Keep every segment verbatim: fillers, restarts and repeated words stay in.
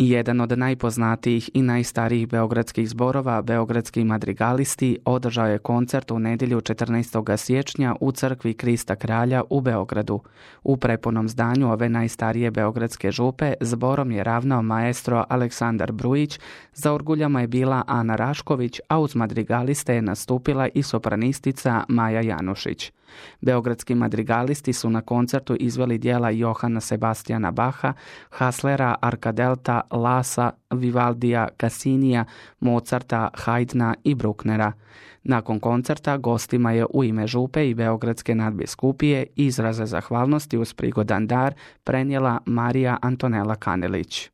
Jedan od najpoznatijih i najstarijih beogradskih zborova, Beogradski madrigalisti, održao je koncert u nedjelju četrnaestog siječnja u crkvi Krista Kralja u Beogradu. U prepunom zdanju ove najstarije beogradske župe zborom je ravnao maestro Aleksandar Brujić, za orguljama je bila Ana Rašković, a uz madrigaliste je nastupila i sopranistica Maja Janušić. Beogradski madrigalisti su na koncertu izveli dijela Johana Sebastijana Baha, Haslera, Arkadelta, Lasa, Vivaldija, Cassinija, Mozarta, Haydna i Brucknera. Nakon koncerta gostima je u ime župe i Beogradske nadbiskupije izraze zahvalnosti uz prigodan dar prenijela Marija Antonela Kanelić.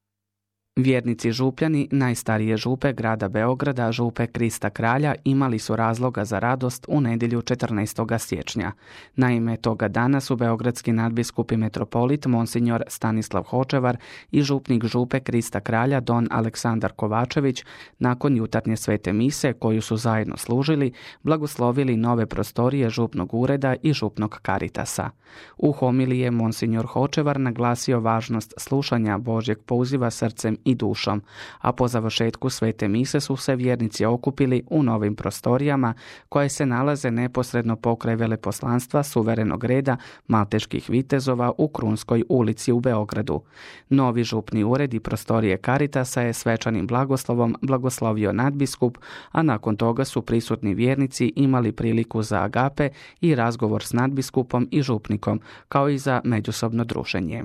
Vjernici župljani najstarije župe grada Beograda, župe Krista Kralja, imali su razloga za radost u nedjelju četrnaestog siječnja. Naime, toga dana su beogradski nadbiskup i metropolit Monsignor Stanislav Hočevar i župnik župe Krista Kralja don Aleksandar Kovačević nakon jutarnje svete mise koju su zajedno služili, blagoslovili nove prostorije župnog ureda i župnog karitasa. U homiliji je Monsignor Hočevar naglasio važnost slušanja Božjeg poziva srcem i dušom, a po završetku svete mise su se vjernici okupili u novim prostorijama koje se nalaze neposredno pokraj veleposlanstva suverenog reda malteških vitezova u Krunskoj ulici u Beogradu. Novi župni ured i prostorije Karitasa je svečanim blagoslovom blagoslovio nadbiskup, a nakon toga su prisutni vjernici imali priliku za agape i razgovor s nadbiskupom i župnikom, kao i za međusobno druženje.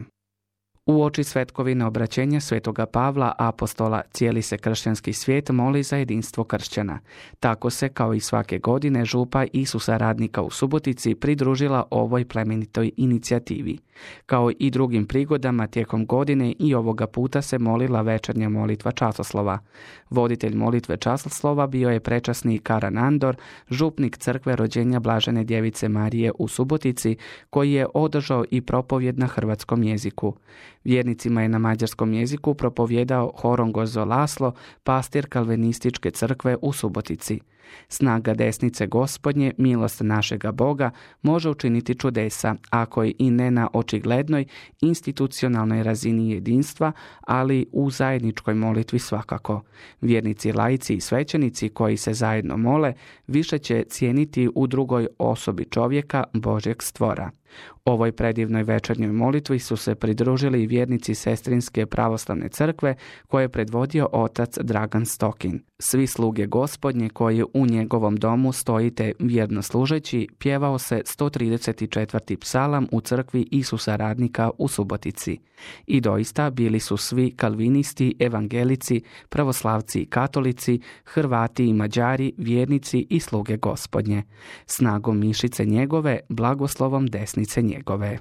U oči svetkovine obraćenja svetoga Pavla, apostola, cijeli se kršćanski svijet moli za jedinstvo kršćana. Tako se, kao i svake godine, župa Isusa Radnika u Subotici pridružila ovoj plemenitoj inicijativi. Kao i drugim prigodama tijekom godine i ovoga puta se molila večernja molitva časoslova. Voditelj molitve časoslova bio je prečasni Karan Andor, župnik crkve rođenja Blažene djevice Marije u Subotici, koji je održao i propovjed na hrvatskom jeziku. Vjernicima je na mađarskom jeziku propovjedao Horongozo Laslo, pastir kalvinističke crkve u Subotici. Snaga desnice Gospodnje, milost našega Boga, može učiniti čudesa, ako i ne na očiglednoj institucionalnoj razini jedinstva, ali u zajedničkoj molitvi svakako. Vjernici, laici i svećenici koji se zajedno mole, više će cijeniti u drugoj osobi čovjeka, Božjeg stvora. Ovoj predivnoj večernjoj molitvi su se pridružili i vjernici Sestrinske pravoslavne crkve koje je predvodio otac Dragan Stokin. Svi sluge Gospodnje koji u njegovom domu stojite vjerno služeći, pjevao se sto trideset četvrti psalam u crkvi Isusa Radnika u Subotici. I doista bili su svi kalvinisti, evangelici, pravoslavci i katolici, Hrvati i Mađari, vjernici i sluge Gospodnje. Snagom mišice njegove, blagoslovom desnice njegove.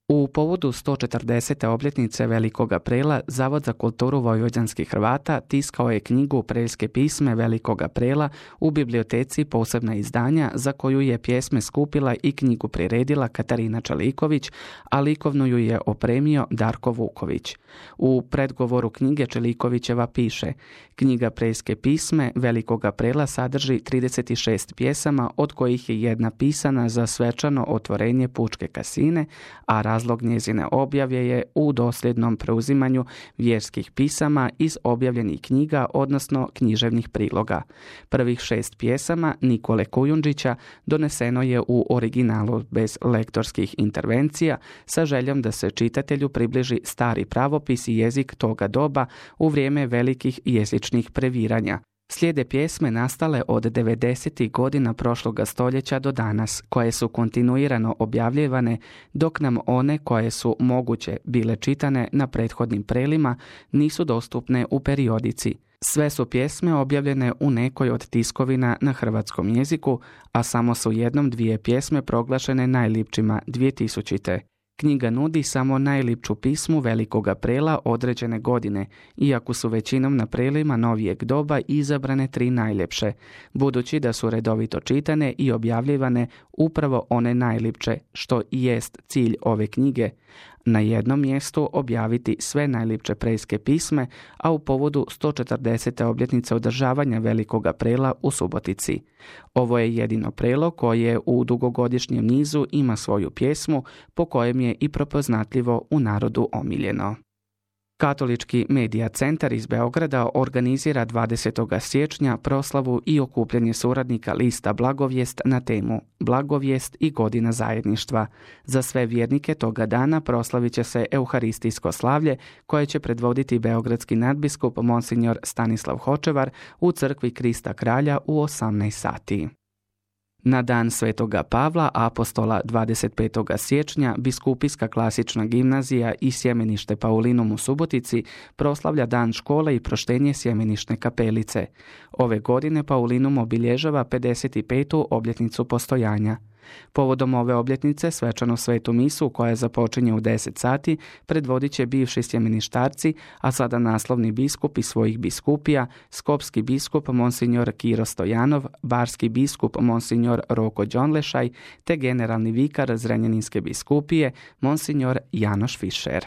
U povodu sto četrdesete obljetnice Velikoga Prela, Zavod za kulturu vojvođanskih Hrvata tiskao je knjigu Preljske pisme Velikoga Prela u biblioteci posebna izdanja za koju je pjesme skupila i knjigu priredila Katarina Čeliković, a likovnu ju je opremio Darko Vuković. U predgovoru knjige Čelikovićeva piše: knjiga Preljske pisme Velikoga Prela sadrži trideset šest pjesama, od kojih je jedna pisana za svečano otvorenje pučke kasine, a razlog njezine objave je u dosljednom preuzimanju vjerskih pisama iz objavljenih knjiga, odnosno književnih priloga. Prvih šest pjesama Nikole Kujundžića doneseno je u originalu bez lektorskih intervencija sa željom da se čitatelju približi stari pravopis i jezik toga doba u vrijeme velikih jezičnih previranja. Slijede pjesme nastale od devedesetih godina prošloga stoljeća do danas, koje su kontinuirano objavljivane, dok nam one koje su moguće bile čitane na prethodnim prelima nisu dostupne u periodici. Sve su pjesme objavljene u nekoj od tiskovina na hrvatskom jeziku, a samo su jednom dvije pjesme proglašene najlipčima dvije tisućite. Knjiga nudi samo najlipču pismu Velikoga Prela određene godine, iako su većinom na prelima novijeg doba izabrane tri najljepše, budući da su redovito čitane i objavljivane upravo one najlipče, što i jest cilj ove knjige. Na jednom mjestu objaviti sve najlipče preljske pisme, a u povodu sto četrdesete obljetnice održavanja Velikoga Prela u Subotici. Ovo je jedino prelo koje u dugogodišnjem nizu ima svoju pjesmu, po kojem je i prepoznatljivo u narodu omiljeno. Katolički medija centar iz Beograda organizira dvadesetog siječnja proslavu i okupljanje suradnika lista Blagovijest na temu Blagovijest i godina zajedništva. Za sve vjernike toga dana proslavit će se euharistijsko slavlje koje će predvoditi beogradski nadbiskup Monsignor Stanislav Hočevar u crkvi Krista Kralja u osamnaest sati. Na dan Svetoga Pavla Apostola dvadeset petog siječnja Biskupijska klasična gimnazija i Sjemenište Paulinum u Subotici proslavlja dan škole i proštenje Sjemenišne kapelice. Ove godine Paulinum obilježava pedeset petu obljetnicu postojanja. Povodom ove obljetnice svečanu svetu misu koja započinje u deset sati predvodit će bivši sjemeništarci, a sada naslovni biskup iz svojih biskupija, skopski biskup Monsignor Kiro Stojanov, barski biskup Monsignor Roko Đonlešaj te generalni vikar Zrenjaninske biskupije Monsignor Janoš Fišer.